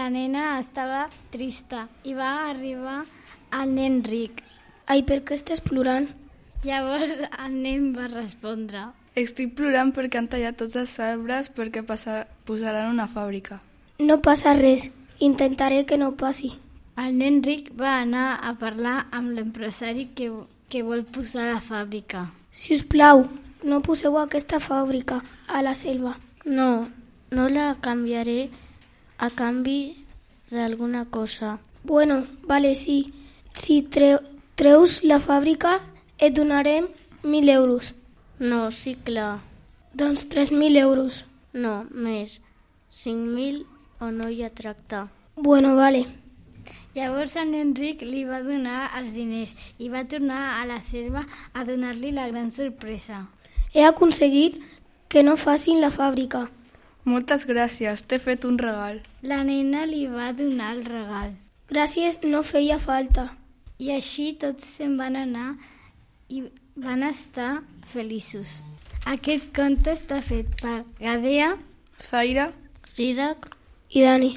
La nena estava trista i va arribar el nen ric. Ai, per què estàs plorant? Llavors el nen va respondre: Estic plorant perquè han tallat tots els arbres perquè posaran una fàbrica. No passa res, intentaré que no passi. El nen ric va anar a parlar amb l'empresari que vol posar la fàbrica. Si us plau, no poseu aquesta fàbrica a la selva. No la canviaré a canvi d'alguna cosa. Bueno, vale, sí. Si treus la fàbrica, et donarem 1.000 euros. No, sí, clar. Doncs 3.000 euros. No, més. 5.000 o no hi ha tracte. Bueno, vale. Llavors el nen ric li va donar els diners i va tornar a la selva a donar-li la gran sorpresa. He aconseguit que no facin la fàbrica. Moltes gràcies, t'he fet un regal. La nena li va donar el regal. Gràcies, no feia falta. I així tots se'n van anar i van estar feliços. Aquest conte està fet per Gadea, Zaira, Dídac I Dani.